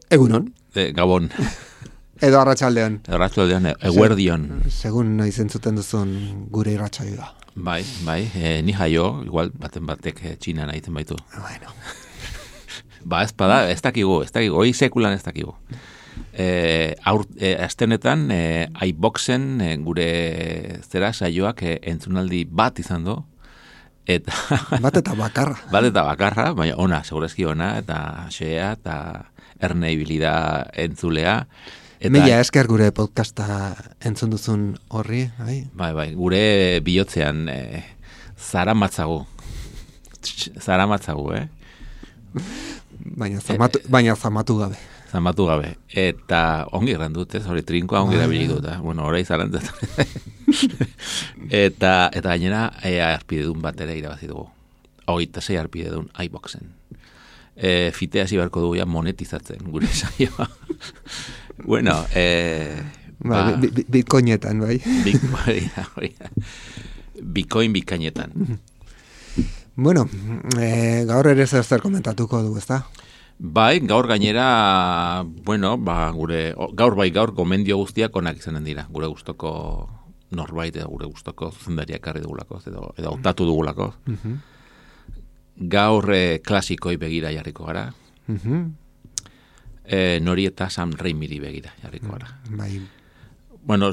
Egunon. Gabon. Edo arratsaldean. Arratsaldean, eguerdion. Segun noiz entzuten duzun gure irratsaioa. Bai, ni jaio, igual batek Txinan egiten baitu. Bueno. Ez dakigu, hoi sekulan ez dakigu. Astenetan, iBoxen gure zera saioak entzunaldi bat izan du. Eta Bat eta bakarra, baina ona, segurezki ona, eta xea, eta erne ibilida entzulea. Mila esker gure podcasta entzun duzun horri, bai? Bai, gure bihotzean zaramatzagu, Baina zamatu gabe. Zamatu gabe. Eta ongi erran dut, hori trinkoa ongi erabili dut, horai zarantzat. Eta gainera, arpidedun bat ere irabazi dugu. 26 arpidedun iBoxen. Fitea hasi beharko dugu ja monetizatzen gure saioa. Bueno, Bitcoinetan, bai? Bitcoin bikainetan. Bueno, gaur ere zer komentatuko du, ezta? Bai, gaur gainera, gaur gomendio guztiak onak izanen dira, gure gustoko norbait edo gure gustoko zuzendariak karri dugulako, edo hautatu dugulako. Gaur klasikoi begira jarriko gara. Nori eta Sam Raimiri begira jarriko gara. Bai. Bueno,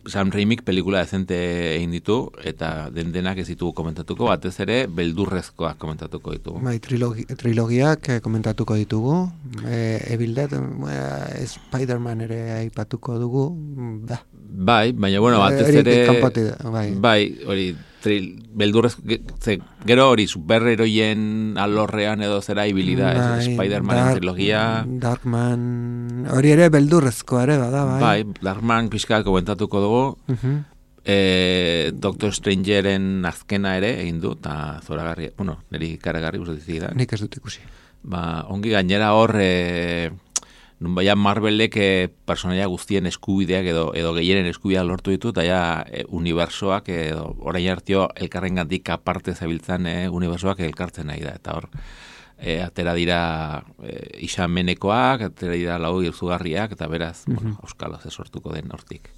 Sam Raimik pelikula dezente egin ditu, eta denak ez ditugu komentatuko, batez ere beldurrezkoak komentatuko ditugu. Bai, trilogiak komentatuko ditugu. Evil Dead, Spider-Man ere aipatuko dugu. Bai, baina batez ere... Bai, hori... beldurrez, gero hori superheroien alorrean edo zera ibilida, Spider-Man trilogia. Darkman, hori ere beldurrezko ere bada, bai. Bai, Darkman pixka komentatuko dugu. Doctor Strangeren azkena ere egin du, eta zoragarri, niri karagarri guzti da. Nik ez dut ikusi. Ongi gainera hor... Baina Marvelek personaia guztien eskubideak edo gehienen eskubideak lortu ditu, eta ja unibersoak edo orain hartio elkarrengatik aparte zabiltzan unibersoak elkartzen nahi da. Eta hor, atera dira isamenekoak, atera dira lau irzugarriak, eta beraz, auskalo ze sortuko den hortik.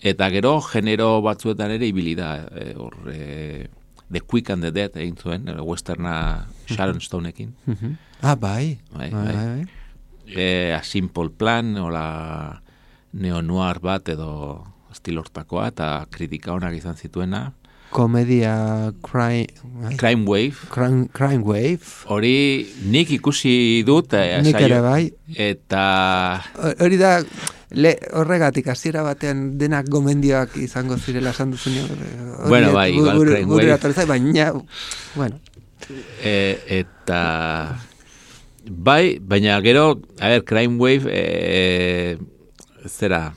Eta gero, genero batzuetan ere ibili da, The Quick and the Dead egin zuen, westerna Sharon Stoneekin. Bai. A Simple Plan, ola neo-noir bat edo estilortakoa, eta kritika onak izan zituena. Komedia Crime Wave. Crime Wave. Hori nik ikusi dut. Nik ere bai. Eta... Hori da, horregatik hasiera batean denak gomendioak izango zirela esan duzunean. Bueno, bai, igual Crime Wave. Baina, bueno. Eta... Bai, baina gero, Crime Wave, zera,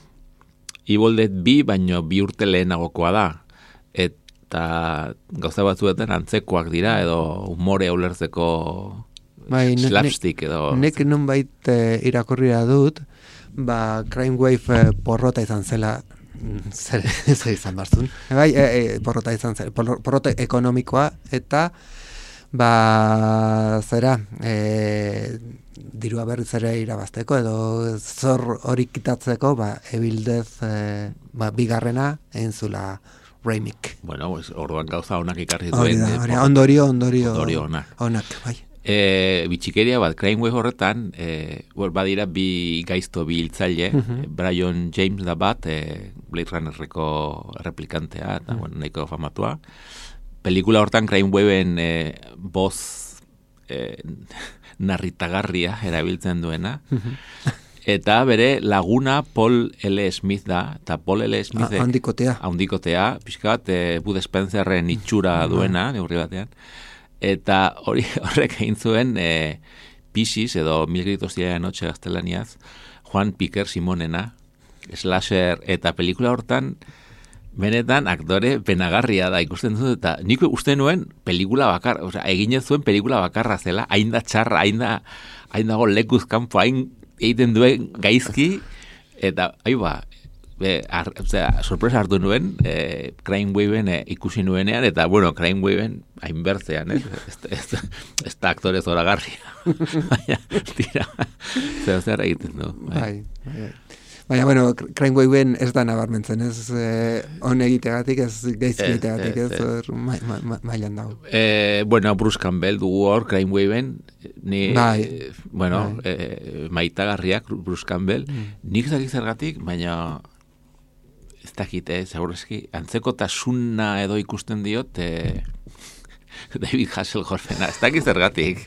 Evil Dead 2, baina 2 urte lehenagokoa da. Eta gauza batzuetan antzekoak dira, edo humore ulertzeko slapstick edo... Nek nonbait irakurria dut, Crime Wave porrota izan zela, zer izan barzun. Bai, porrota izan zela, porrota ekonomikoa, eta... zera, dirua berriz ere irabazteko edo zor hori kitatzeko, Evil Dead bigarrena egin zula Raimik. Bueno, orduan gauza onak ikarri duen. Ondorio onak, bai. Bitxikeria bat, Crime Wave horretan, badira bi gaizto bi hiltzaile, Brian James da bat, Blade Runnerreko replikantea, eta nahiko famatua. Pelikula hortan Crime Waveen boz narritagarria erabiltzen duena. Eta bere laguna Paul L. Smith da, eta Paul L. Smith handikotea, pixkat, Bud Spencerren itxura duena, neurri batean. Eta horrek egin zuen Piscis edo Mil gritos diaria de noche gaztelaniaz, Juan Piquer Simonena, slasher, eta pelikula hortan, benetan aktore penagarria da ikusten dut, eta nik uste nuen pelikula bakarra, osea, eginez zuen pelikula bakarra zela, hain da txarra, hain dago lekuz kanpo, hain egiten duen gaizki, eta sorpresa hartu nuen, Crime Waven ikusi nuenean, eta, bueno, Crime Waven hainbertzean, ez da aktore zoragarria. Baina, tira, zer egiten du. Bai. Baina, bueno, Crime Waven ez da nabarmentzen, ez on egitegatik, ez gaizki egitegatik, ez mailan dago. Bueno, Bruce Campbell dugu hor, Crime Waven, maitagarriak Bruce Campbell, nik zaki zergatik, baina ez dakit, segurazki, antzeko tasuna edo ikusten diot David Hasselhoffena, ez dakit zergatik.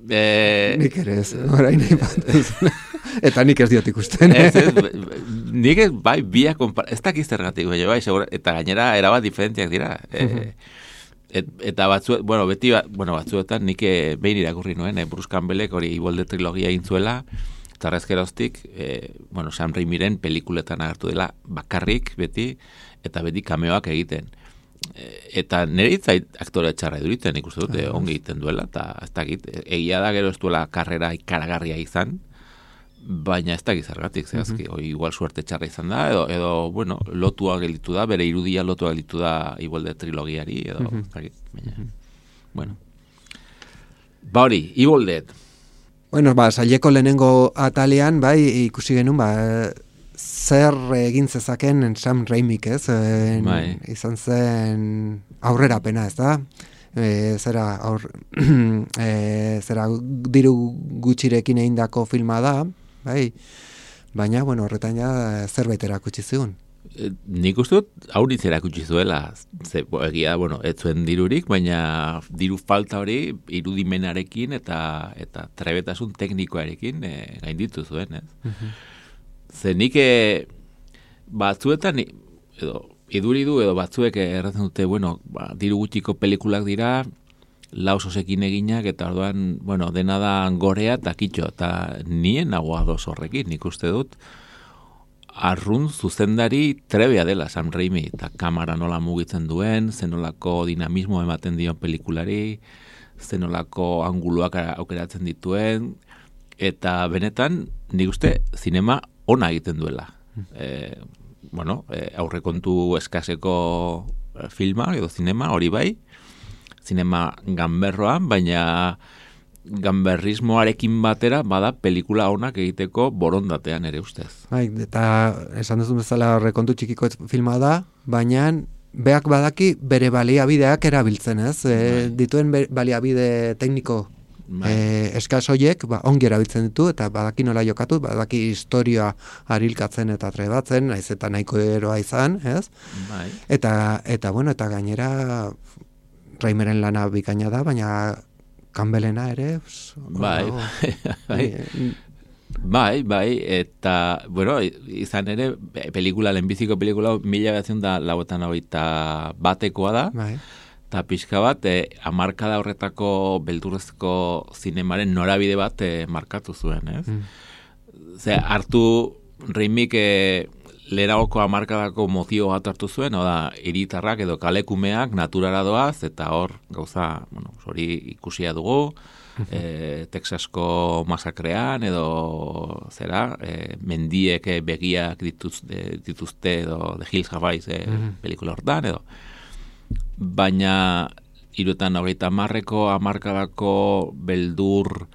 Nik ere ez, orain nahi batuz. Eta nik ez diot ikusten. Nik ez, bai, biak ez dakit zergatik, bai, eta gainera erabat diferentziak dira. Eta batzuetan nik behin irakurri nuen, Bruce Campbellek hori Ibolde trilogia egin zuela, eta arrezkeroztik, Sam Raimiren pelikuletan agertu dela bakarrik beti, eta beti kameoak egiten. Eta nire itzait aktore txarra eduriten ikusten dute, ongi egiten duela, eta ez dakit, egia da gero ez duela karrera ikaragarria izan, baina ez dakit zergatik, zehazki, igual suerte txarra izan da, edo lotua gelditu da, bere irudia lotua gelditu da Ibolde trilogiari, edo, ez dakit, baina, ba hori, Ibolde. Bueno, saileko lehenengo atalean, bai, ikusi genuen, zer egin zezaken Sam Raimik, ez? Izan zen aurrerapena, ez da? Zera diru gutxirekin egindako filma da, bai? Baina, horretan ja zerbait erakutsi zigun. Nik uste dut aurritz erakutsi zuela, egia, ez zuen dirurik, baina diru falta hori irudimenarekin eta trebetasun teknikoarekin gainditu zuen, ez? Ze nik batzuetan, edo iduridu edo batzuek erratzen dute, diru gutxiko pelikulak dira, lausosekin eginak, eta orduan, dena da gorea eta kitxo, eta nien nagoa doz horrekin, nik uste dut, arrun zuzendari trebea dela Sam Raimi, eta kamera nola mugitzen duen, zenolako dinamismo ematen dion pelikulari, zenolako anguluak aukeratzen dituen, eta benetan, nik uste, zinema ona egiten duela. Aurrekontu eskaseko filma, edo zinema, hori bai, zinema ganberroan, baina ganberrismoarekin batera bada pelikula onak egiteko borondatean ere ustez. Bai, eta esan duzu bezala rekontu txikiko filma da, baina beak badaki bere baliabideak erabiltzen, ez? Dituen baliabide tekniko eskaz horiek ongi erabiltzen ditu, eta badaki nola jokatu, badaki historia harilkatzen eta trebatzen, naiz eta nahiko eroa izan, ez? Bai. Eta gainera Raimeren lana bikaina da, baina Campbellena ere, Bai, eta, izan ere, lehenbiziko pelikula 1981 batekoa da, eta pixka bat, hamarkada horretako beldurrezko zinemaren norabide bat markatu zuen, ez? Hartu Raimik lehenagoko hamarkadako mozio bat hartu zuen, hiritarrak edo kalekumeak naturara doaz, eta hor, gauza, hori ikusia dugu, Texasko masakrean, edo mendiek begiak dituzte, edo The Hills Have Eyes pelikula hortan, edo. Baina, 1930ko hamarkadako beldur,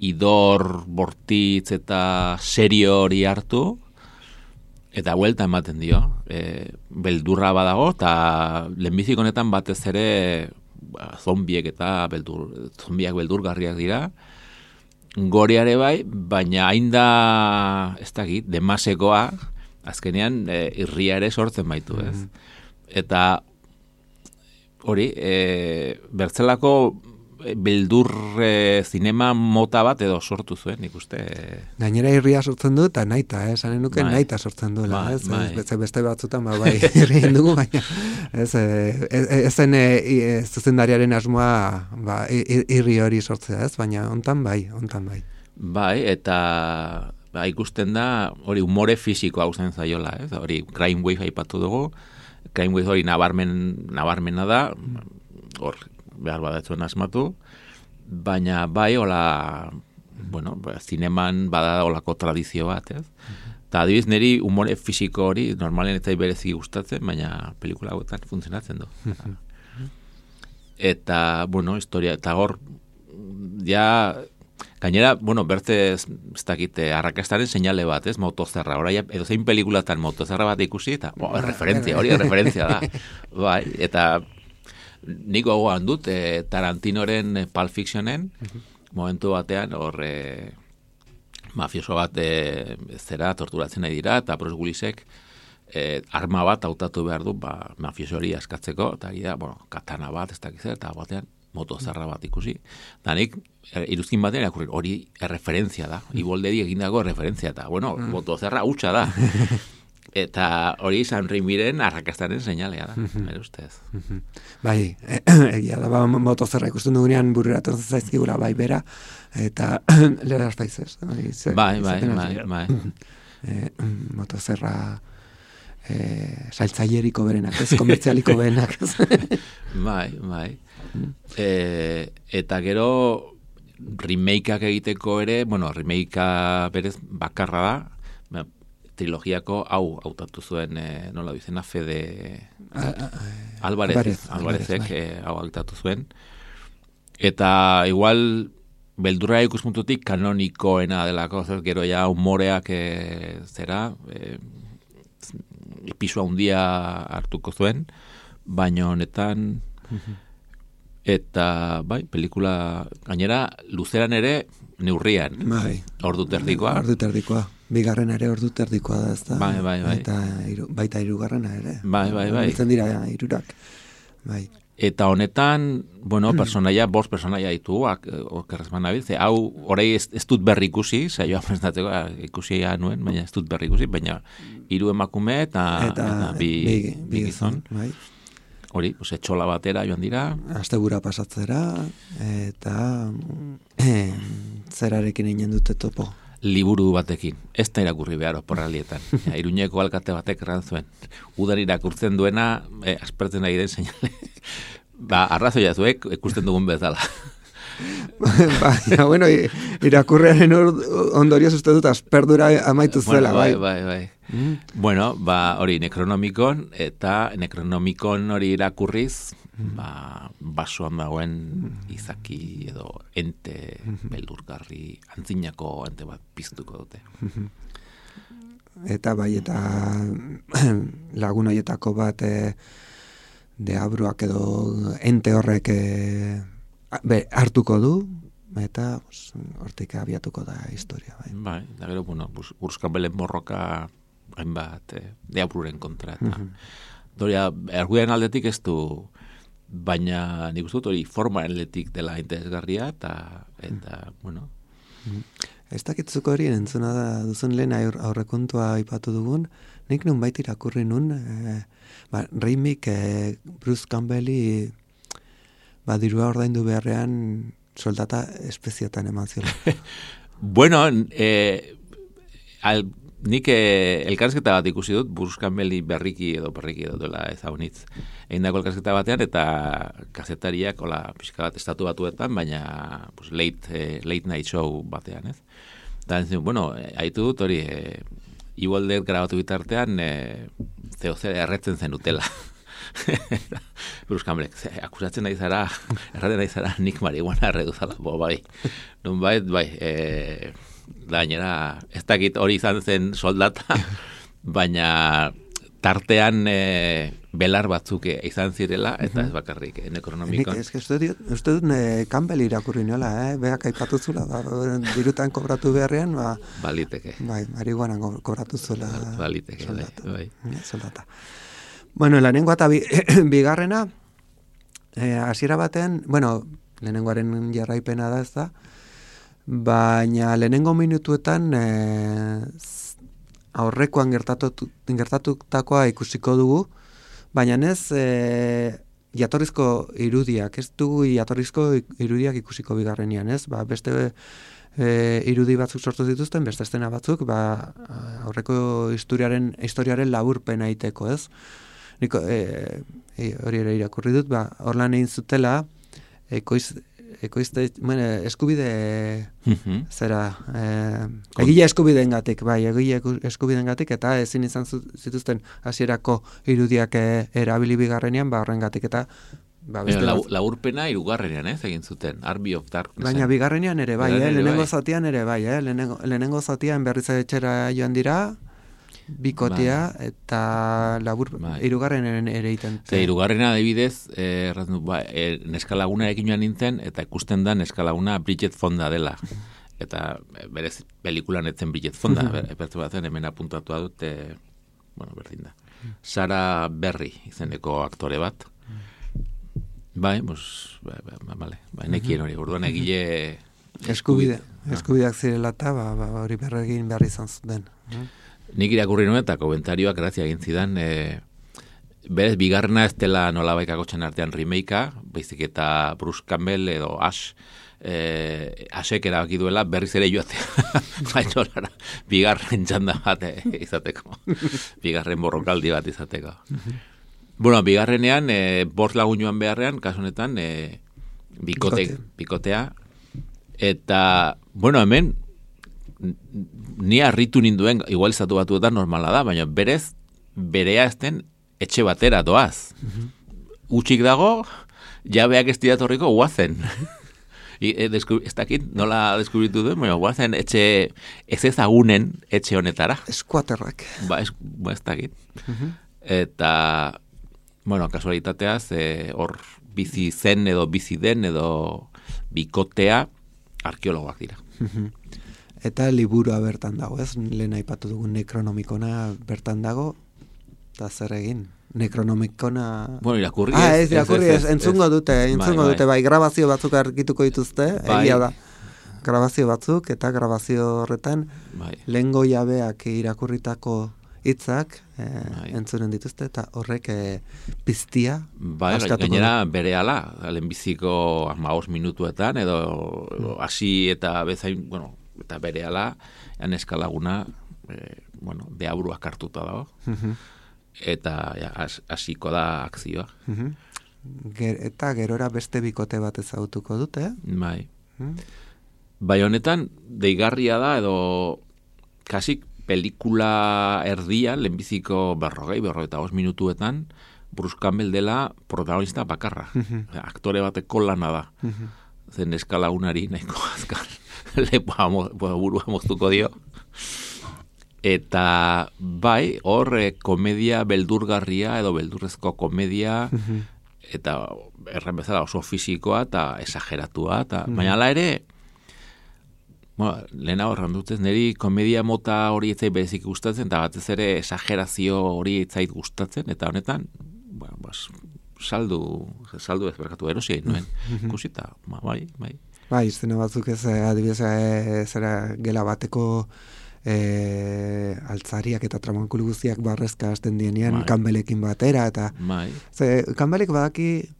idor, bortitz eta serio hori hartu, eta huelta ematen dio. Beldurra badago, eta lehenbizik honetan batez ere zombiek eta zombiak beldurgarriak dira. Goreare bai, baina hain da, ez dakit, demasekoa, azkenean irria ere sortzen baitu, ez? Eta hori, bertzelako beldur zinema mota bat edo sortu zuen, nik uste. Gainera irria sortzen du, eta naita, esanen nuke naita sortzen duela, beste batzutan, bai, irrien dugu, baina, ezen zuzendariaren asmoa irri hori sortzea, baina hontan bai. Bai, eta ikusten da, hori umore fisikoa usten zaiola, hori Crime Wave aipatu dugu, Crime Wave hori nabarmena da, hor, behar badatzuen asmatu, baina bai, hola, bueno, zineman bada holako tradizio bat, Eta adibiz, niri umore fisiko hori, normalen ez berezi gustatzen, baina pelikula hauetan funtzionatzen du. Eta, bueno, historia, eta hor, ja, gainera, bueno, bertze, ez dakit, arrakastaren seinale bat, motozerra, orai, edo zein pelikulatan motozerra bat ikusi, eta, referentzia da. Bai, eta nik gogoan dut, Tarantinoren Pulp Fictionen, momentu batean, hor, mafioso bat zera torturatzen nahi dira, eta Bruce Willisek arma bat hautatu behar du, mafioso hori askatzeko, eta gira, katana bat, ez dakiz, eta batean motozarra bat ikusi. Eta nik, iruzkin batean irakurri, hori erreferentzia da, Ibolderi egindako referentzia, eta, motozarra hutsa da. Eta hori San Raimiren arrakastaren seinalea da, bere ustez. Bai, egia da, motozerra ikusten dugunean bururatzen zaizkigula bai bera, eta lera artaizez. Bai. Motozerra saltzaileriko berenak, komertzialiko berenak. Bai. Eta gero remakeak egiteko ere, remakea berez bakarra da, trilogiako hau hautatu zuen, nola bizena, Fede Alvarezek hau hautatu zuen. Eta igual beldurra ikuspuntutik kanonikoena delako, gero ja humoreak zera, pisu handia hartuko zuen, baina honetan eta bai, pelikula gainera luzeran ere neurrian. Bai. Ordu terdikoa. Bigarren ere ordu terdikoa da, ezta? Bai. Eta baita hirugarrena ere. Bai. Biltzen dira hirurak. Bai. Eta honetan, personaia, 5 personaia ditu, okerrezman nabil, hau, horrei ez dut berri ikusi, saioa presentatzeko ikusia nuen, baina ez dut berri ikusi, baina 3 emakume eta bi gizon. Bai. Hori, etxola batera joan dira. Astebura pasatzera, eta zerarekin inen dute topo. Liburu batekin, ez da irakurri behar oporralietan. Iruñeko alkate batek erran zuen. Udan irakurtzen duena, aspertzen nahi den seinale. Arrazoia zuek, ikusten dugun bezala. Baina, irakurrearen ondorioz uste dut asperdura amaitu zela. Bai. Bueno, hori Necronomicon, eta Necronomicon hori irakurriz, basoan dagoen izaki edo ente beldurgarri, antzinako ente bat piztuko dute. Eta lagun horietako bat deabruak edo ente horrek hartuko du, eta hortik abiatuko da historia. Bai, da gero, Urskabelen borroka hainbat deabruren kontra. Doria, erguiaren aldetik ez du, baina nik uste dut hori formaren aldetik dela interesgarria, eta Ez dakitzuko hori entzuna da duzun lehen aurrekontua aipatu dugun, nik nun bait irakurri nun, Raimik Bruce Campbelli dirua ordaindu beharrean soldata espeziatan eman ziola. Bueno, nik elkarrizketa bat ikusi dut, Bruce Campbelli berriki edo dela ezagunitz. Egindako elkarrizketa batean, eta kazetariak, pixka bat estatu batuetan, baina late night show batean, ez? Eta, haitu dut hori, Evil Dead grabatu bitartean, zer erretzen zen utela. Bruce Campbell, akusatzen nahi zara, erraten nahi zara, nik marihuana erreduzala, bai. Nunbait, gainera, ez dakit hori izan zen soldata, baina tartean belar batzuk izan zirela, eta ez bakarrik Necronomicon. Uste dut Campbell irakurri nola, beak aipatu zula, dirutan kobratu beharrean, baliteke. Bai, marihuana kobratu zula. Baliteke, bai. Soldata. Bueno, lehenengoa eta bigarrena, hasiera batean, lehenengoaren jarraipena da, ez da, baina lehenengo minutuetan aurrekoan gertatutakoa ikusiko dugu, baina ez jatorrizko irudiak, ez dugu jatorrizko irudiak ikusiko bigarrenean, ez? Beste irudi batzuk sortu dituzten, beste estena batzuk, aurreko historiaren laburpena egiteko, ez? Niko, hori ere irakurri dut, horlan egin zutela, eskubide zera egile eskubideengatik, eta ezin izan zituzten hasierako irudiak erabili bigarrenean, horrengatik eta laburpena hirugarrenean, egin zuten, Army of Darkness. Baina bigarrenean ere bai, lehenengo zatian ere bai, lehenengo zatian berriz etxera joan dira, bikotea eta hirugarrenen ere iten. Hirugarrena adibidez, neska lagunarekin joan nintzen, eta ikusten da neska laguna Bridget Fonda dela. Eta berez pelikulan etzen Bridget Fonda, epertu batzen hemen apuntatua dute, berdin da. Sarah Berry izeneko aktore bat. Nekien hori, orduan egile eskubideak zirela eta hori berregin behar izan zuten. Nik irakurri nuen eta komentarioak grazia egin zidan, berez bigarrena ez dela nolabaikako txan artean remakea, baizik eta Bruce Campbell edo Ashek erabaki duela berriz ere joatea. Bigarren txanda bat izateko. Bigarren borrokaldi bat izateko. Bigarrenean, bost lagun joan beharrean, kasu honetan, bikotea. Eta, hemen, ni harritu ninduen, igual izatu batuetan normala da, baina berez, berea ezten etxe batera doaz. Utxik dago, jabeak ez diratorriko guazen. Ez dakit nola deskubritu duen, baina guazen etxe ez ezagunen etxe honetara. Eskuaterrak. Ez dakit. Eta, kasualitateaz, hor bizi zen edo bizi den edo bikotea arkeologoak dira. Eta liburua bertan dago, ez? Lehen aipatu dugun Necronomicona bertan dago, eta zer egin? Necronomicona... irakurri ez. Entzungo dute, bai, grabazio batzuk argituko dituzte, egia da. Grabazio batzuk, eta grabazio horretan, lehengo jabeak irakurritako hitzak entzunen dituzte, eta horrek piztia askatuko. Gainera berehala, lehenbiziko 15 minutuetan, edo hasi eta bezain, eta berehala, neska laguna, deabruak hartuta dago, eta hasiko da akzioa. Eta gerora beste bikote bat ezagutuko dute, Bai honetan, deigarria da, edo kasik pelikula erdian, lehenbiziko 45 minutuetan, Bruce Campbell dela protagonista bakarra. Aktore bateko lana da. Zen eskalagunari nahiko azkar. Burua moztuko dio. Eta bai, hor komedia beldurgarria edo beldurrezko komedia, eta erren bezala oso fisikoa eta esageratua. Baina ala ere, lehena horran dutez, niri komedia mota hori etzait berezik gustatzen, eta batez ere esagerazio hori etzait gustatzen, eta honetan, saldu ez berkatu erosi egin nuen. Kusita, bai. Bai, izena batzuk ez, adibidez, zera gela bateko altzariak eta tramankulu guztiak barrezka hasten dienean, Campbellekin batera, eta Campbellek badaki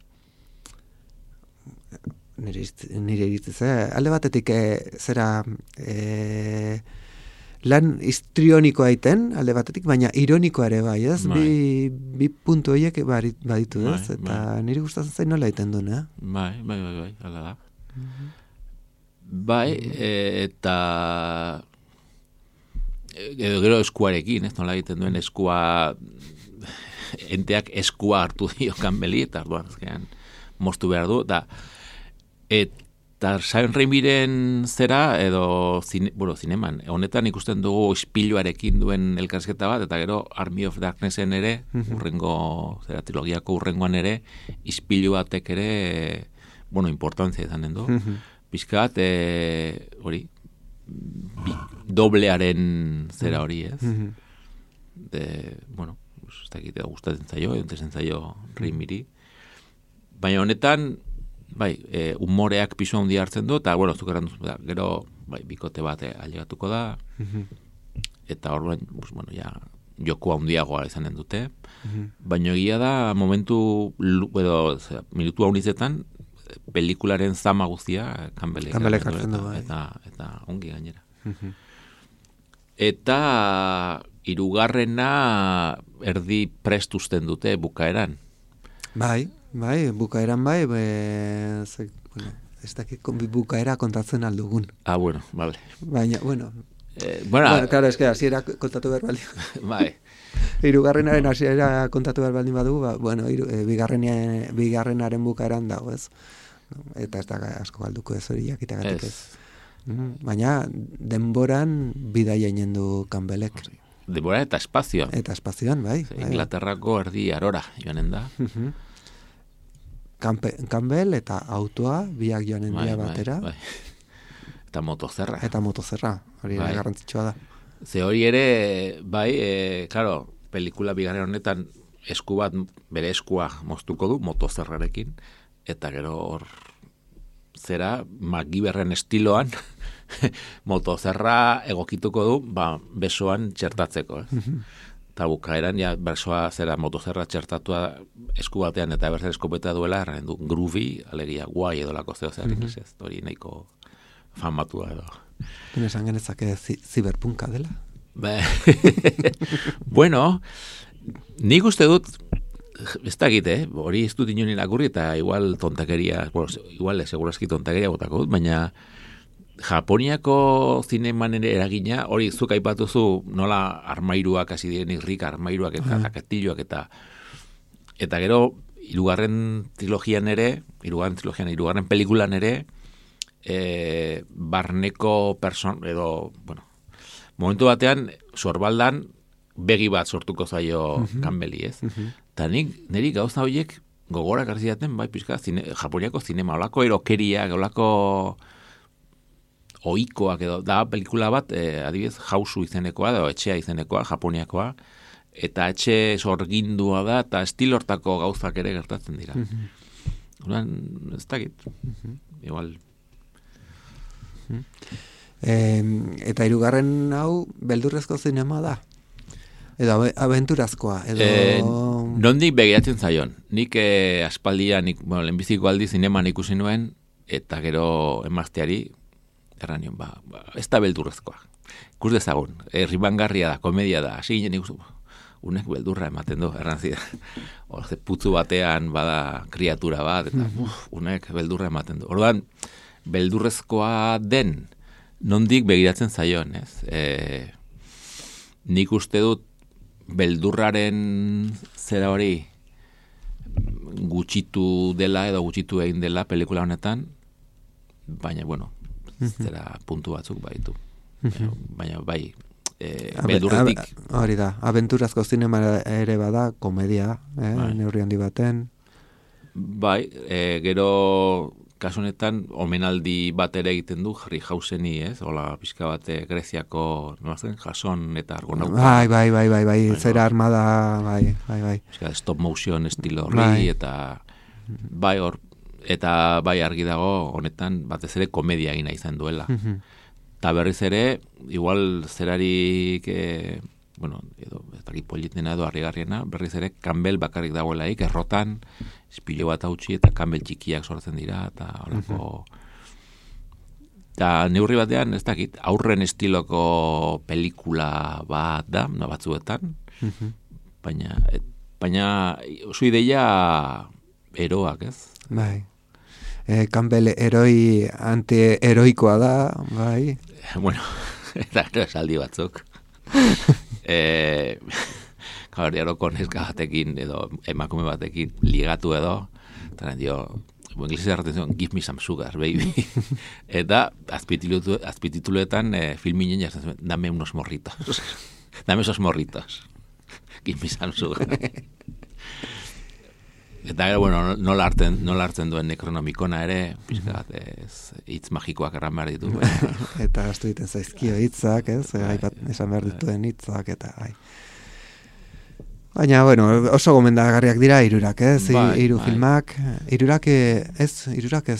nire iritziz, alde batetik zera lan histrionikoa aiten, alde batetik, baina ironikoa ere bai, ez? Bi puntu horiek baditu, ez? Eta nire gustatzen zain nola aiten duen, Bai, hala da. Bai, eta gero eskuarekin, ez nola egiten duen eskua, enteak eskua hartu dio Campbelli, eta arduan azkenean moztu behar du, eta Sam Raimiren zera, edo zineman, honetan ikusten dugu ispiluarekin duen elkarrizketa bat, eta gero Army of Darknessen ere, trilogiako urrengoan ere, ispilu batek ere, importantzia izanen du. Pizkat, hori, doblearen zera hori, ez? Ez dakit, gustatzen zaio, entezen zaio Raimiri. Baina honetan, bai, umoreak pisu handi hartzen du, eta, bueno, zukeran duzu, gero, bai, bikote bat ailegatuko da, eta hor, bueno, ja, joku handiagoa izanen dute, baina egia da, momentu, minutu haunitzetan, pelikularen zama guztia, Campbellek hartzen du, bai. Eta ongi gainera. Eta hirugarrena erdi prest uzten dute bukaeran. Bai, bukaeran bai, bueno, ez dakit bukaera kontatzen aldugun. Bueno, vale. Baina, bueno, claro, es que hasiera kontatu behar baldin. Bai. Hirugarrenaren hasiera kontatu behar baldin badu, bueno, bigarrenaren bukaeran dago, ez? Eta ez da asko galduko ez hori jakitagatik ez. Baina denboran bidaia inen du Campbellek. Denbora eta espazioan. Eta espazioan, bai. Inglaterrako erdi arora joanen da. Campbell eta autoa biak joanen dira batera. Bai. Eta motozerra. Hori garrantzitsua da. Ze hori ere, bai, claro, pelikula bigarren honetan esku bat, bere eskua moztuko du, motozerrarekin, eta gero hor zera, MacGyverren estiloan, motozerra egokituko du, besoan txertatzeko. Eta bukaeran, ja, besoa zera motozerra txertatua esku batean, eta berzen eskopeta duela, erren du, groovy, alegia, guai edolako zeo zer inglesez, hori nahiko famatua edo. Esan genezake ziberpunka dela? Bueno, nik uste dut, ez dakit, hori ez dut inoen irakurri, eta igual tontakeria, igual segurazki tontakeria botako dut, baina Japoniako zineman ere eragina, hori zuk aipatuzu nola armairuak hasi diren irrika, armairuak eta kastilloak eta gero hirugarren pelikulan ere, barneko edo, bueno, momentu batean, sorbaldan begi bat sortuko zaio Campbelli, ez? Eta niri gauza horiek gogorak arzidaten, bai, pixka, Japoniako zinema, olako erokeriak, olako oikoak edo, da pelikula bat, adibidez, Hausu izenekoa, edo etxea izenekoa, Japoniakoa, eta etxe sorgindua da, eta estilortako gauzak ere gertatzen dira. Ez dakit, igual. Eta hirugarren hau beldurrezko zinema da? Edo abenturazkoa? Nondik begiratzen zaion. Nik aspaldian, lehenbiziko aldi zineman ikusi nuen, eta gero emazteari, erranion, ez da beldurrezkoa. Ikus dezagun, ribangarria da, komedia da, hasi ginen ikustu, unek beldurra ematen du, errantzia. Putzu batean bada kriatura bat, eta unek beldurra ematen du. Orduan, beldurrezkoa den, nondik begiratzen zaion, ez? Nik uste dut beldurraren zera hori gutxitu dela edo gutxitu egin dela pelikula honetan, baina, bueno, zera puntu batzuk baitu. Baina, bai, beldurretik. Hori da, abenturazko zinema ere bada, komedia, neurri handi baten. Bai, gero kasu honetan, omenaldi bat ere egiten du, Harryhauseni, ez? Hola, pixka bat Greziako, nolazten, Jason eta Argonauta. Bai, zera armada, bai. Pixka, stop motion estilo horri, eta bai hor, eta bai argi dago, honetan, batez ere komedia egina izan duela. Eta berriz ere, igual zerarik, bueno, edo, ez dakit politena edo harrigarriena, berriz ere, Campbell bakarrik dagoelaik, errotan, espilo bat hautsi eta Campbell txikiak sortzen dira, eta horako... Eta neurri batean, ez dakit, aurren estiloko pelikula bat da, batzuetan, baina oso ideia eroak, ez? Bai. Campbell eroi anti-eroikoa da, bai. Bueno, eta esaldi batzuk. Gaurdiaroko neska batekin edo emakume batekin ligatu edo, eta dio, inglesez erraten zion, give me some sugar, baby. Eta azpitituletan filminen jasen zuen, dame unos morritos. Dame esos morritos. Give me some sugar. Eta gero, bueno, nola hartzen duen Necronomicona ere, pixka bat, hitz magikoak erran behar ditu. Eta astu egiten zaizkio hitzak, ez? Esan behar dituen hitzak, eta bai. Baina, bueno, oso gomendagarriak dira hirurak, ez? Hiru bai. filmak. Hirurak ez,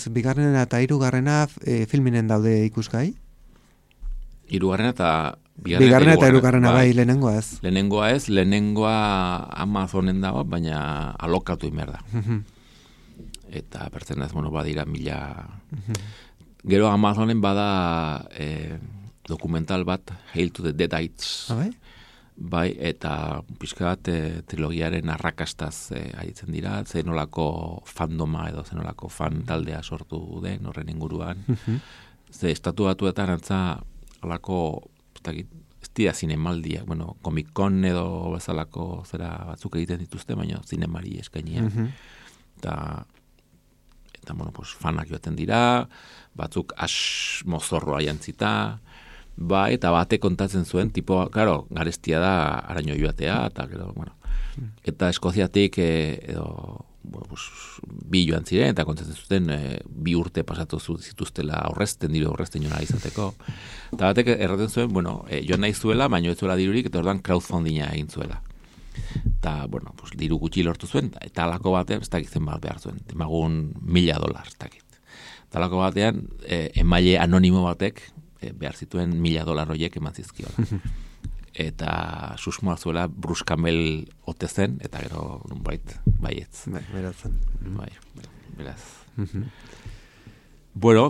bigarrena eta hirugarrena filminen daude ikusgai? Hirugarrena eta bigarrena eta hirugarrena bai, lehenengoa ez. Lehenengoa Amazonen dago, baina alokatu inber da. Eta pertzen ez, badira 1000... Gero Amazonen bada dokumental bat, Hail to the Deadites. Bai, eta pixka bat trilogiaren arrakastaz aritzen dira, zenolako fandoma edo zenolako fan taldea sortu den horren inguruan. Ze estatu batuetan antza alako, ez dira zinemaldiak, Comic-Con edo bezalako zera batzuk egiten dituzte, baina zinemari eskainia. Eta fanak joaten dira, batzuk mozorroa jantzita, eta bate kontatzen zuen, claro, garestia da araño joatea, eta gero, eta Eskoziatik bi joan ziren, eta kontatzen zuten 2 urte pasatu zituztela horrezten joan izateko. Eta batek erraten zuen, joan nahi zuela, baina ez zuela dirurik, eta ordan crowdfundinga egin zuela. Eta, diru gutxi lortu zuen, eta alako batean, ez dakitzen bat behar zuen, emagun $1,000, ez dakit. Eta alako batean, emaile anonimo batek, behar zituen $1,000 horiek eman zizkiola. Eta susmoa zuela Bruce Campbell ote zen, eta gero baietz. Beratzen. Beraz.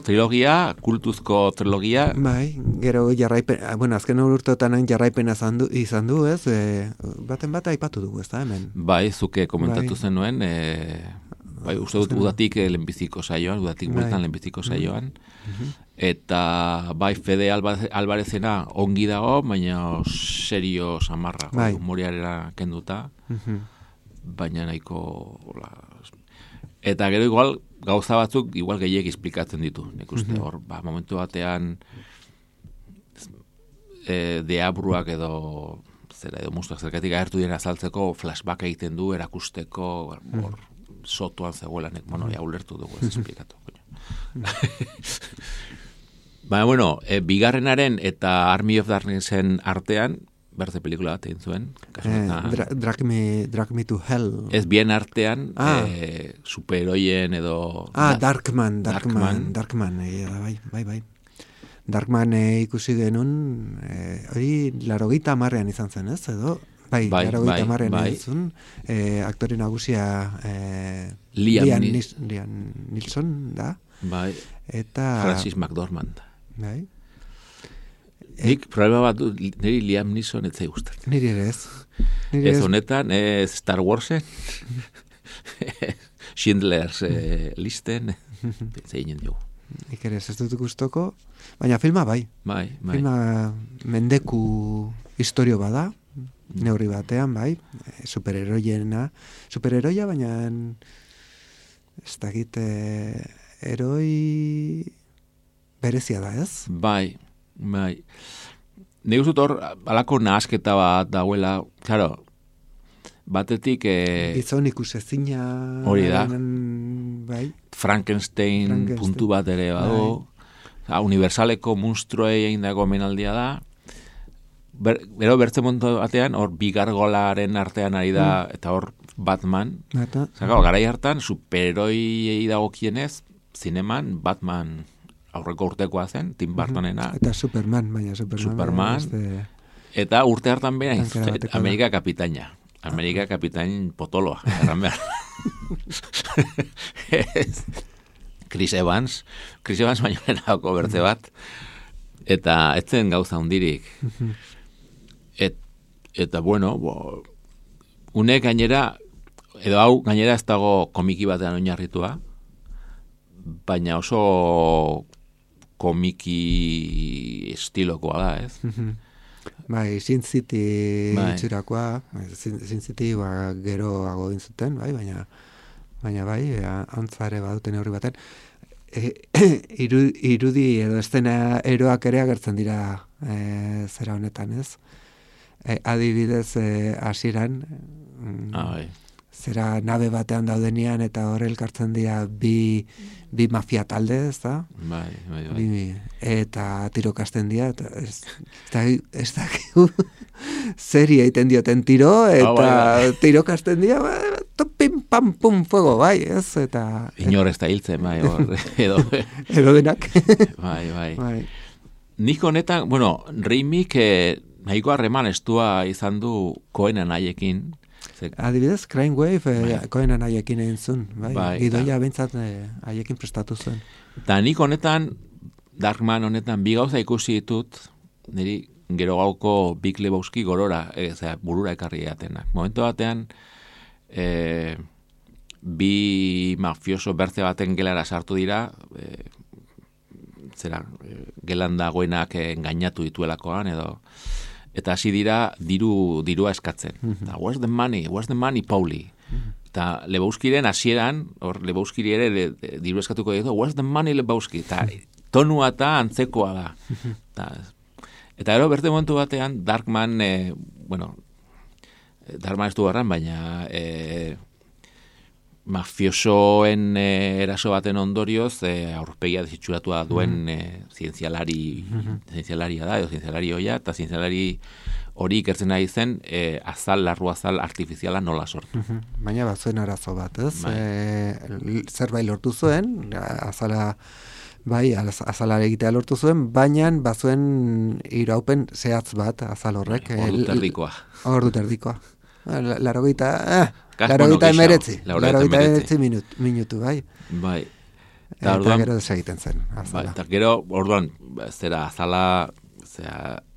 Trilogia, kultuzko trilogia. Bai, gero jarraipen, azken urteotan jarraipena izan du, ez? Baten bat aipatu dugu, ez da, hemen? Bai, zuke komentatu zenuen, uste dut udatik lehenbiziko saioan, udatik bultan lehenbiziko saioan, eta bai Fede Alvarezena ongi dago, baina serio samarra, humoriarera kenduta, baina nahiko... Eta gero igual gauza batzuk igual gehiek esplikatzen ditu, nik uste hor, momentu batean deabruak edo mustuak zergatik agertu dira azaltzeko flashback egiten du, erakusteko hor sotuan zegoela, ja ulertu dugu ez esplikatu. Baina, bigarrenaren eta Army of Darknessen artean, berte pelikula bat egin zuen. Drag me to Hell. Ez bien artean, superheroien edo... Darkman, bai. Darkman ikusi genuen, hori 80ean izan zen, ez, edo? Bai, 80ean izan zen, aktore nagusia Liam Neeson, da? Bai, eta Francis McDormand. Bai. Nik problema bat du, niri Liam Neeson ez zai gustatzen. Niri ere ez. Ez honetan, Star Warsen, Schindler's listen, zeinen dugu. Nik ere ez dut gustoko, baina filma bai. Filma mendeku historio bada, neurri batean, bai, superheroia, baina ez dakit heroi berezia da, ez? Bai. Nik uste hor, alako nahasketa bat dagoela, claro, batetik... Gizon ikusezina... Hori da. Bai. Frankenstein puntu bat ere badu. Bai. Universaleko monstruei egin dago menaldia da. Bero bertzen montu batean, hor bigargolaren artean ari da, eta hor Batman. Garai hartan, superheroi dagokienez, zineman, Batman... aurreko urtekoa zen, Tim Burtonena. Eta Superman, baina Superman. Eta urte hartan bera, Amerika kapitaina. Amerika kapitain potoloa, erran behar. Chris Evans baino nenako bertze bat. Eta etzen gauza hundirik. Eta unek gainera, edo hau gainera ez dago komiki batean oinarritua, baina oso komiki estilokoa da, ez? Bai, Sin City itxurakoa, Sin City geroago dintzuten, bai, baina bai, antzare baduten neurri baten. Irudi edo estena eroak ere agertzen dira zera honetan, ez? Adibidez, hasieran zera nabe batean daudenean eta hor elkartzen dira bi mafia talde, ez da? Bai. Eta tirokasten dira, eta ez da serie egiten dioten tiro, eta tirokasten dira, pim, pam, pum, fuego, bai, ez? Eta... Inor ez da hiltzen, bai, hor, edo denak. Bai. Nik honetan, bueno, Raimik nahiko harreman estua izan du Coenen haiekin. Adibidez, Crime Wave Coenen haiekin egin zuen, bai. Gidoia bentsat haiekin prestatu zuen. Eta nik honetan, Darkman honetan, bi gauza ikusi ditut, niri gero gauko Big Lebowski gorora, burura ekarri edatenak. Momentu batean, bi mafioso bertze baten gelara sartu dira, gelan dagoenak engainatu dituelakoan, eta hasi dira dirua eskatzen. Eta, where's the money, Pauli? Eta Lebowskiren hasieran, hor Lebowskiri ere diru eskatuko ditu, where's the money, Lebowski? Eta tonua eta antzekoa da. Eta gero berte momentu batean, Darkman, Darkman ez du garran, baina mafiosoen eraso baten ondorioz aurpegia desitxuratua duen zientzialaria da, edo zientzialari hoia, eta zientzialari hori ikertzen nahi zen larru azal artifiziala nola sortu. Baina bazuen arazo bat, ez? Zerbait lortu zuen, azala azalare egitea lortu zuen, baina bazuen iraupen zehatz bat azal horrek. Ordu terdikoa. Larogeita emeretzi minutu, bai. Bai. Eta gero desegiten zen. Bai, eta gero, orduan, azala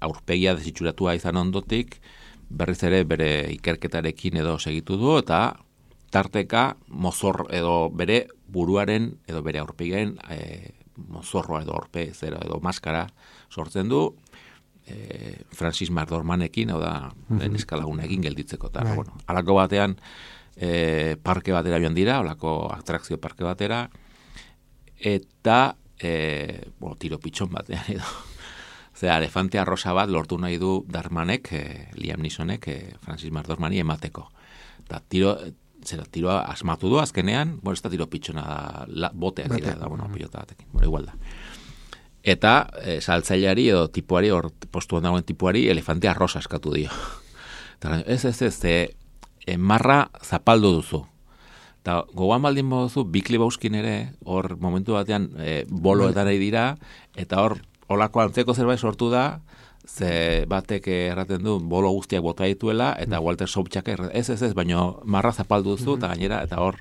aurpegia desitxuratua izan ondotik, berriz ere bere ikerketarekin edo segitu du, eta tarteka mozor edo bere buruaren edo bere aurpegiaren mozorroa edo edo maskara sortzen du, Francis McDormandekin, hau da, eskalagunekin gelditzeko. Halako batean, parke batera joan dira, halako atrakzio parke batera, eta tiro pitxon batean edo. Elefantea rosa bat lortu nahi du Darkmanek, Liam Neesonek, Francis McDormandi emateko. Eta tiroa asmatu du azkenean, ez da tiro pitxona da, boteak dira, pilota batekin, igual da. Eta saltzaileari edo tipuari, postuan dagoen tipuari, elefantea rosa eskatu dio. Ez, marra zapaldu duzu. Eta gogoan baldin duzu, Big Lebowskin ere, hor momentu batean boloetan ari dira, eta hor olako antzeko zerbait sortu da, ze batek erraten du bolo guztiak bota dituela, eta Walter Sobchak ez, baino marra zapaldu duzu, eta gainera, eta hor...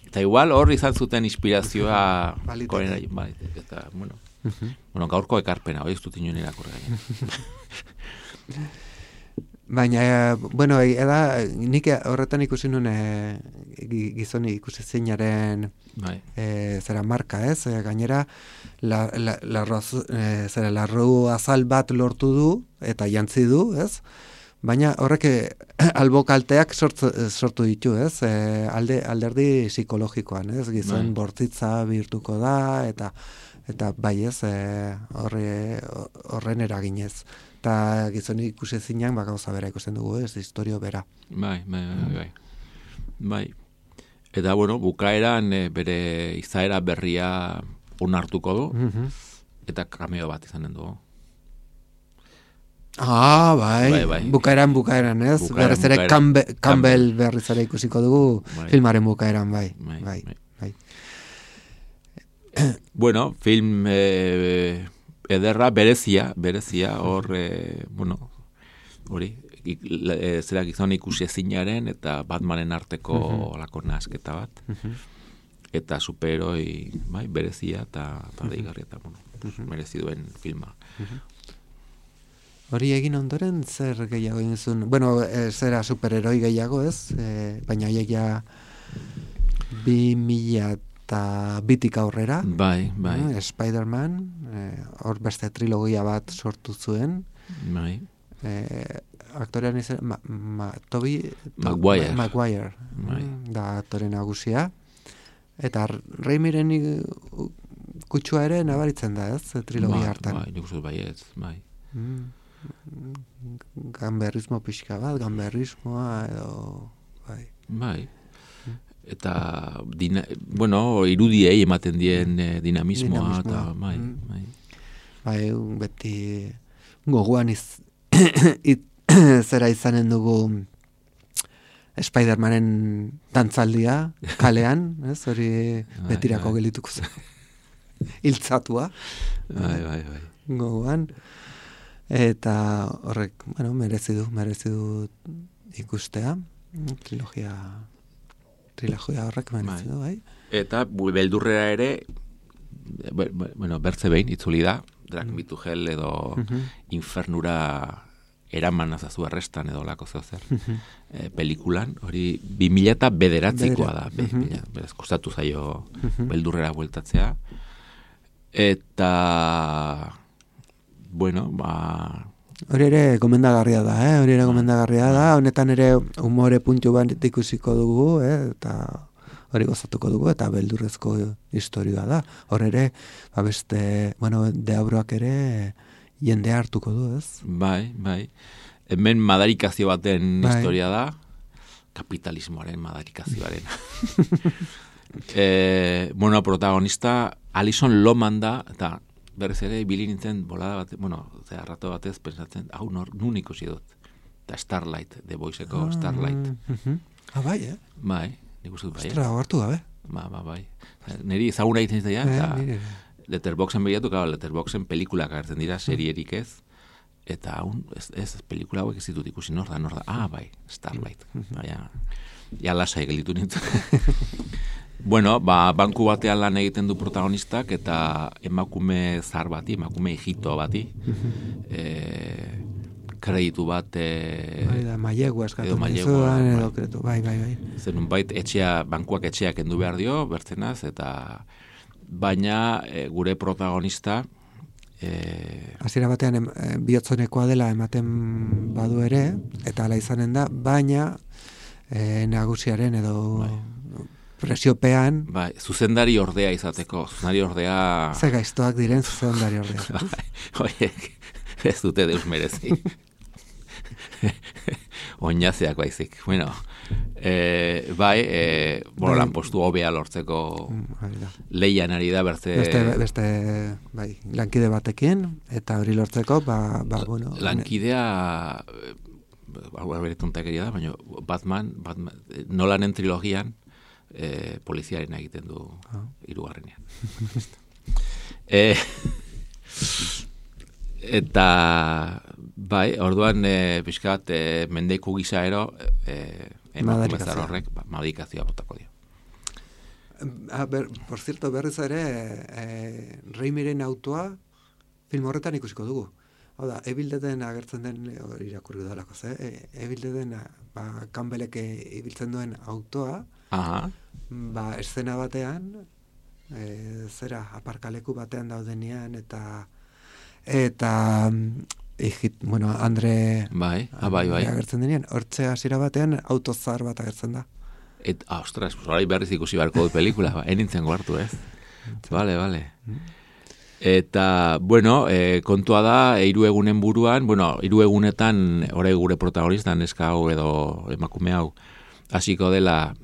Eta igual hor izan zuten inspirazioa... Bai, eta, gaurko ekarpena, hori ez dut inoen irakurri gaina. Baina, nik horretan ikusi nuen gizoni ikusi zeinaren zera marka, ez? Gainera, larru azal bat lortu du, eta jantzi du, ez? Baina horrek albokalteak sortu ditu, ez? Alderdi psikologikoan, ez? Gizon bortzitza bihurtuko da, eta bai ez, horren eraginez. Eta gizoni ikusi zinean, gauza bera ikusten dugu, ez, historio bera. Bai. Eta, bukaeran bere izaera berria onartuko du, eta cameo bat izanen dugu. Bai. Bukaeran, ez? Berriz ere Campbell berriz ere ikusiko dugu filmaren bukaeran, bai. Film ederra, berezia, hor, hori, zera gizon ikusi ezinaren eta Batmanen arteko lako nasketa bat. Eta superheroi, berezia eta deigarria eta, merezi duen filma. Hori egin ondoren, zer gehiago egin zuen? Zera superheroi gehiago, ez? Baina haiek ja 2002tik aurrera. Bai. Spider-Man, hor beste trilogia bat sortu zuen. Bai. Aktorean izan, Maguire. Da aktore nagusia. Eta Raimiren kutsua ere nabaritzen da, ez? Trilogia hartan. Nik uste baietz, bai. Gamberrismo pixka bat, gamberrismoa edo Bai. Eta, irudiei ematen dien dinamismoa, eta, bai. Bai, beti gogoan zera izanen dugu Spider-Manen dantzaldia, kalean, ez, hori betirako gelituko zen. Hiltzatua. Bai. Gogoan. Eta horrek, merezi du ikustea. Trilogia horrek merezi du, bai. Eta beldurrera ere, bertze behin, itzuli da, Drak Mitugel edo infernura eraman azazu arrestan edo lako zer pelikulan, hori 2009koa da, beraz kostatu zaio beldurrera bueltatzea, eta hori ere gomendagarria da, honetan ere umore puntu bat ikusiko dugu, eta hori gozatuko dugu, eta beldurrezko historioa da. Hor ere, beste, deabroak ere jende hartuko du, ez? Bai. Hemen madarikazio baten historia da, kapitalismoaren madarikazioaren. Protagonista, Alison Lohman da, eta berriz ere, ibili nintzen bolada bat, rato batez, pensatzen, hau nun ikusi dut. Eta Starlight, The Voice-eko Starlight. Bai, Bai, nik uste dut bai. Ostra, hartu gabe. Bai. Neri ezaguna egiten zaila, eta Letterboxen begiratu, Letterboxen pelikulak agertzen dira, serierik ez, eta ez pelikula hauek ez ditut ikusi, nor da, bai, Starlight. Ja lasai gelditu nintzen. Banku batean lan egiten du protagonistak, eta emakume zar bati, emakume hijito bati, kreditu bat mailegua eskatzen dizuan edo kretu, bai. Zenun bait, bankuak etxeak endu behar dio, bertzenaz, eta baina gure protagonista hasiera batean bihotzonekoa dela ematen badu ere, eta hala izanen da, baina nagusiaren edo presiopean zuzendari ordea izateko, zuzendari ordea ze gaiztoak diren zuzendari ordea. Oiek, ez dute deus merezi. Oinazeak baizik. Lanpostu hobea lortzeko leian ari da beste lankide batekin, eta hori lortzeko lankidea bere tontakeria da, baina Batman Nolanen trilogian poliziaren egiten du hirugarrenean. Eta orduan pixkat mendeku gisa ero emakumezar horrek madikazioa botako dio. Por cierto, berriz ere Raimiren autoa film horretan ikusiko dugu. Hau da, Evil Deaden agertzen den irakurri dalako, Evil Deaden Campbellek ibiltzen duen autoa, eszena batean, aparkaleku batean daudenean, eta Andre agertzen denean, hortze hasiera batean autozar bat agertzen da. Ostras, horai berriz ikusi barko du pelikula, enintzen goartu, ez? Vale. Eta, kontua da, 3 egunen buruan, 3 egunetan, ore gure protagonista, neska hau edo emakume hau, hasiko dela,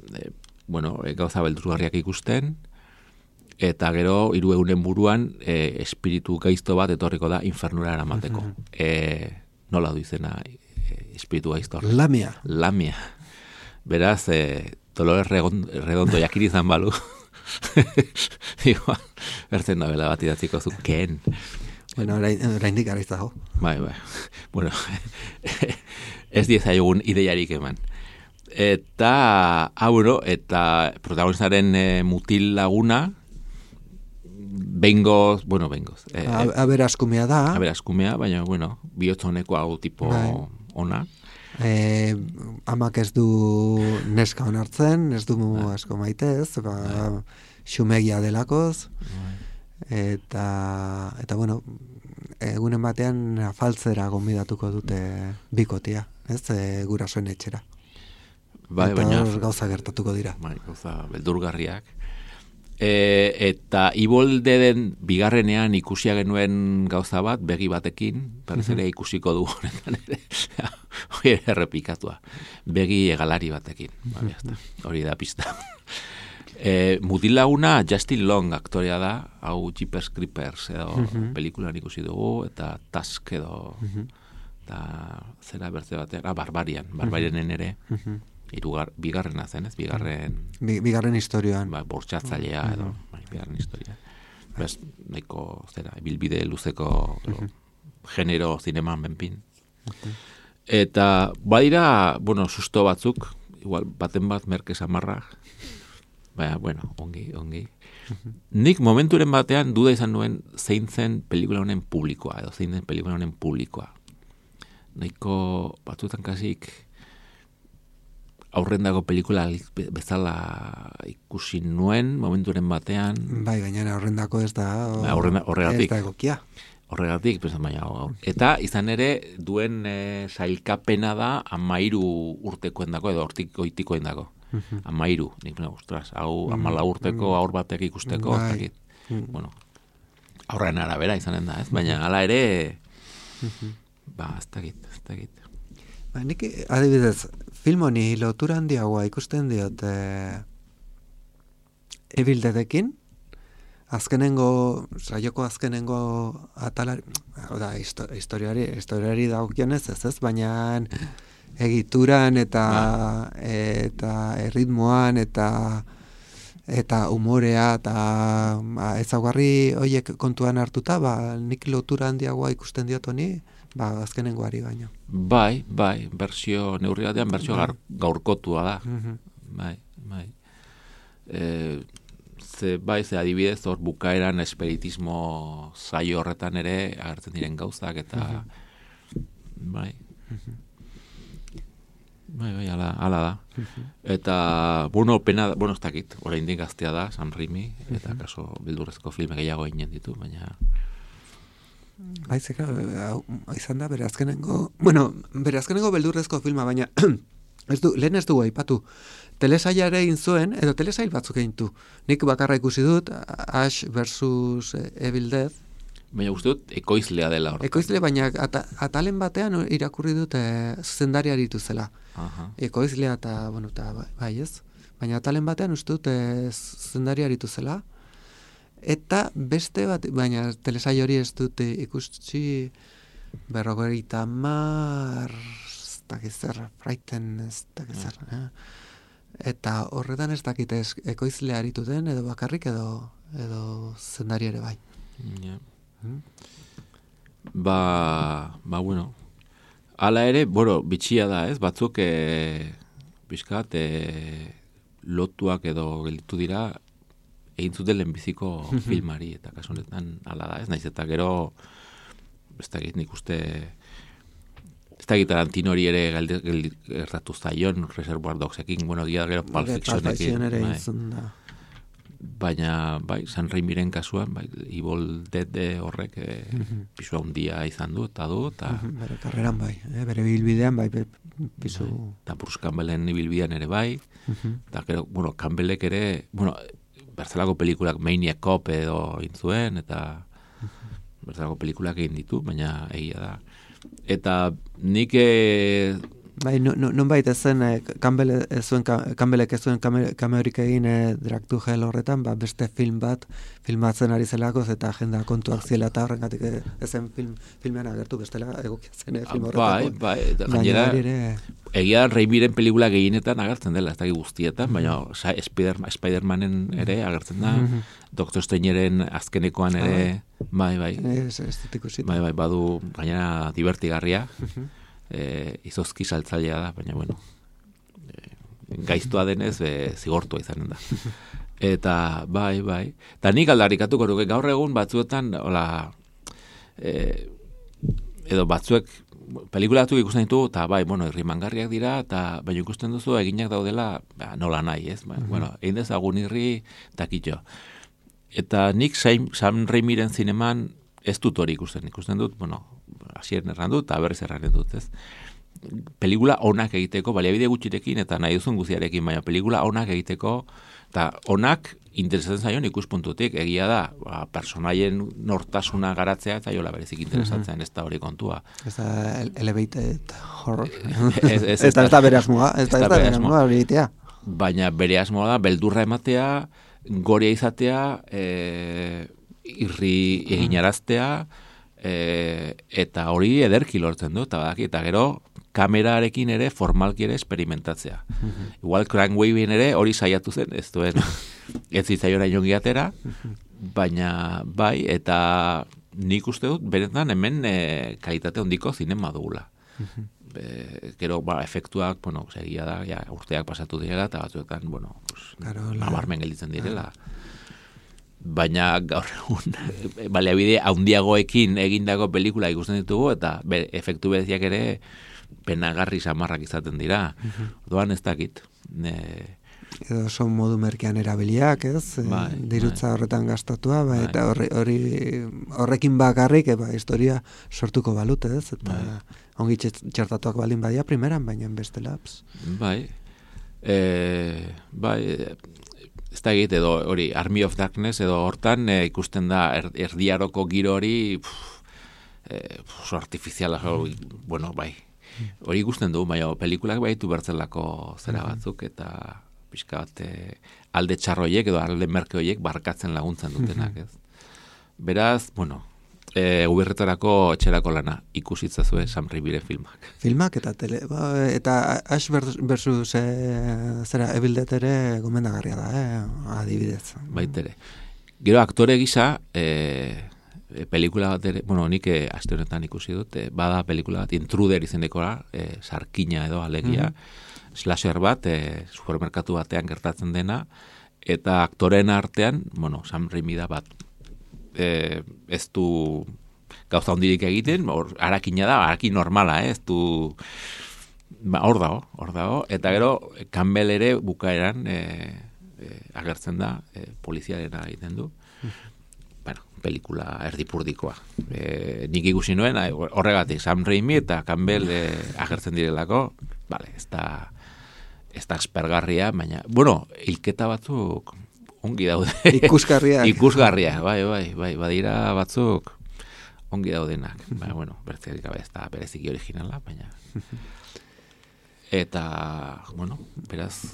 gauza beldurgarriak ikusten, eta gero 3 egunen buruan espiritu gaizto bat etorriko da infernura eramateko. Nola du izena espiritu gaizto? Lamia. Beraz, Dolores Redondo jakiri izan balu. Bertzen da bela bat idatziko zu, ken. Oraindik gara izago. Bai. Ez diezaiogun ideiarik eman. Eta, protagonistaren mutil laguna, bengoz. Aberaskumea da. Baina, bihotzoneko hau tipo ona. Amak ez du neska onartzen, ez du asko maitez, xumegia delakoz, eta egunen batean afaltzera gonbidatuko dute bikotia, ez, gurasoen etxera. Eta gauza gertatuko dira. Gauza beldurgarriak. Eta Ibolde den bigarrenean ikusia genuen gauza bat, begi batekin, berriz ere ikusiko du honetan ere. hori errepikatua. Begi egalari batekin. Hori da pista. Mutilaguna Justin Long aktorea da, hau Jeepers Creepers edo pelikulan ikusi dugu, eta Tusk edo eta zera bertze batean, Barbarianen ere, bigarrena zen, ez? Bigarren historioan. Bortxatzailea edo, bigarren historia. Bez, nahiko, bilbide luzeko genero zineman benpin. Eta, badira, susto batzuk, igual, baten bat merke samarra, baina, ongi. Nik momenturen batean duda izan nuen zein zen pelikula honen publikoa, edo zein zen pelikula honen publikoa. Nahiko batzutan kasik aurrendako pelikula bezala ikusi nuen momenturen batean. Bai, gainera aurrendako ez da horregatik. Ez da egokia. Horregatik, baina eta izan ere duen sailkapena da 13 urtekoendako edo hortik goitikoendako. 13, nik ostras, hau 14 urteko aur batek ikusteko, aurren arabera izanen da, ez? Baina hala ere ez dakit. Nik adibidez, film honi lotura handiagoa ikusten diot Evil Deadekin, saioko azkenengo atalari, historiari dagokionez ez, baina egituran eta erritmoan eta umorea eta ezaugarri horiek kontuan hartuta, nik lotura handiagoa ikusten diot honi, azkenengoari baino. Bai, bersio neurri batean bersio gaurkotua da. Bai. Ze adibidez hor bukaeran espiritismo saio horretan ere agertzen diren gauzak eta bai, ala da. Eta, pena, ez dakit, oraindik gaztea da, Sam Raimi, eta kaso beldurrezko filme gehiago eginen ditu, baina... Bai, izan da, bere azkenengo beldurrezko filma, baina lehen ez dugu aipatu. Telesailare egin zuen, edo telesail batzuk egin du. Nik bakarra ikusi dut, Ash versus Evil Dead. Baina uste dut, ekoizlea dela hor. Ekoizle, baina atalen batean irakurri dut zuzendari aritu zela. Ekoizlea eta, bai ez. Baina atalen batean uste dut zuzendari aritu zela. Eta beste bat, baina telesail hori ez dut ikusi 50 Frighten ez dakizzer. Eta horretan ez dakit ekoizlea aritu den, edo bakarrik edo zuzendari ere bai. Hala ere, bitxia da, ez? Batzuk pixkat lotuak edo gelditu dira egin zuten lehenbiziko filmari, eta kasu honetan hala da, ez? Naiz eta gero ez dakit nik uste ez dakit Tarantinori ere gertatu zaion Reservoir Dogsekin, gero Pulp Fictionekin. Baina, San Raimiren kasuan, Evil Dead horrek pisu handia izan du, eta bere karreran bere bilbidean, pisu... Eta Bruce Campbellen bilbidean ere eta gero, Campbellek ere, berzelako pelikulak Maniac Cop edo intzuen, eta berzelako pelikulak egin ditu, baina egia da. Eta nik... non baita zen, Campbellek ez zuen kameorik egin Drag to Hell horretan, beste film bat filmatzen ari zelakoz, eta agenda kontuak ziela eta horrengatik ezen filmean agertu bestela egokia zen film horretako. Gainera, egia Raimiren pelikula gehienetan agertzen dela, ez da guztietan, baina Spider-Manen ere agertzen da, Dr. Strange-eren azkenekoan ere, bai, badu gainera divertigarria, izozki saltzailea da, baina gaiztua denez zigortua izanen da. Eta bai. Eta nik aldarrikatuko nuke gaur egun batzuetan edo batzuek pelikula batzuk ikusten ditu, eta irrimangarriak dira, eta baina ikusten duzu eginak daudela nola nahi, ez? Egin dezagun irri takitxo. Eta nik Sam Raimiren zineman ez dut hori ikusten dut, hasieran erran dut, eta berriz erran dut, ez? Pelikula onak egiteko, baliabide gutxirekin, eta nahi duzun guziarekin, baina pelikula onak egiteko, eta onak interesatzen zaion ikuspuntutik, egia da, personaien nortasuna garatzea eta jola berezik interesatzen, ez da hori kontua. Ez da elevated horror. Ez da bere asmoa, ez da bere asmoa hori egitea. Baina bere asmoa da, beldurra ematea, goria izatea, irri eginaraztea, eta hori ederki lortzen du, eta gero, kamerarekin ere formalki ere experimentatzea. Igual Crank Waving ere hori saiatu zen, ez duen ez zitzaiora inongi atera, baina bai, eta nik uste dut, benetan hemen kalitate hondiko zinema dugula. Gero, efektuak, segia da, urteak pasatu direla, eta batzuetan, nabarmen gelditzen direla. Baina gaur egun baliabide handiagoekin egindako pelikula ikusten ditugu, eta efektu bereziak ere penagarri samarrak izaten dira. Doan ez dakit. Edo son modu merkean erabiliak, ez? Dirutza horretan gastatua, eta horrekin bakarrik, historia sortuko balut, ez? Eta ongi txertatuak baldin badia primeran, baina beste laps. Bai, ez da egit, edo hori Army of Darkness, edo hortan ikusten da erdiaroko giro hori oso artifiziala, bai. Hori ikusten du, baina pelikulak baitu bertzelako zera batzuk, eta pixka bat alde txarroiek edo alde merke horiek barkatzen laguntzen dutenak, ez? Beraz, ubirretarako etxerako lana ikusitzazue Sam Raimi filmak. Filmak eta eta Ash versus zera Evil Dead ere gomendagarria da, adibidez. Baitere. Gero aktore gisa pelikula bat ere, nik aste honetan ikusi dut, bada pelikula bat Intruder izenekora, sarkina edo alegia, slasher bat, supermerkatu batean gertatzen dena, eta aktoren artean, Sam Raimi da bat, ez du gauza hondirik egiten, harakina da, harakin normala, ez du, hor dago, eta gero, Campbell ere bukaeran agertzen da, poliziarena egiten du, pelikula erdipurdikoa. Nik ikusi nuen, horregatik, Sam Raimi eta Campbell agertzen direlako, ez da aspergarria, baina, hilketa batzuk ongi daude. Ikusgarria, bai, badira batzuk ongi daudenak. Bertzerik gabe ez da bereziki originala, baina. Eta, beraz,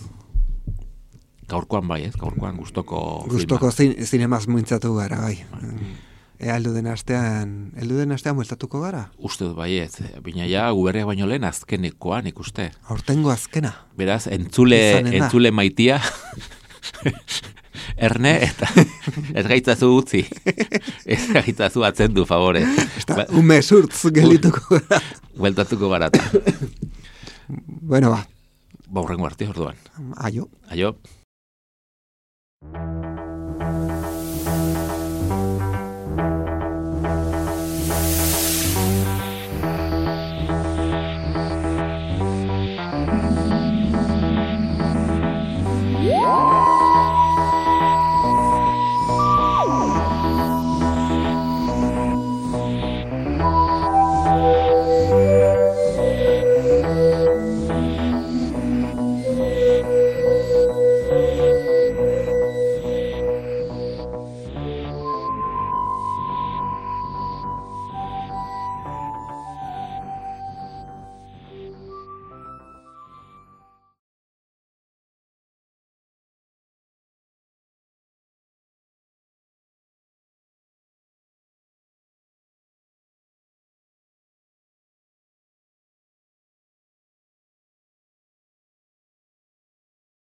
gaurkoan bai, ez? Gaurkoan gustoko zinemaz muintzatu gara, bai. Helduden astean mueltatuko gara? Uste dut bai, ez. Bina ja, guberriak baino lehen azkenekoan ikuste. Aurtengo azkena. Beraz, entzule maitia, erne, eta ez gaitzazu utzi. Ez gaitzazu atzendu, favore. Ume surtz gelituko gara. Bueltatuko gara. Bueno, ba. Baurrengo arte, orduan. Aio. Aio.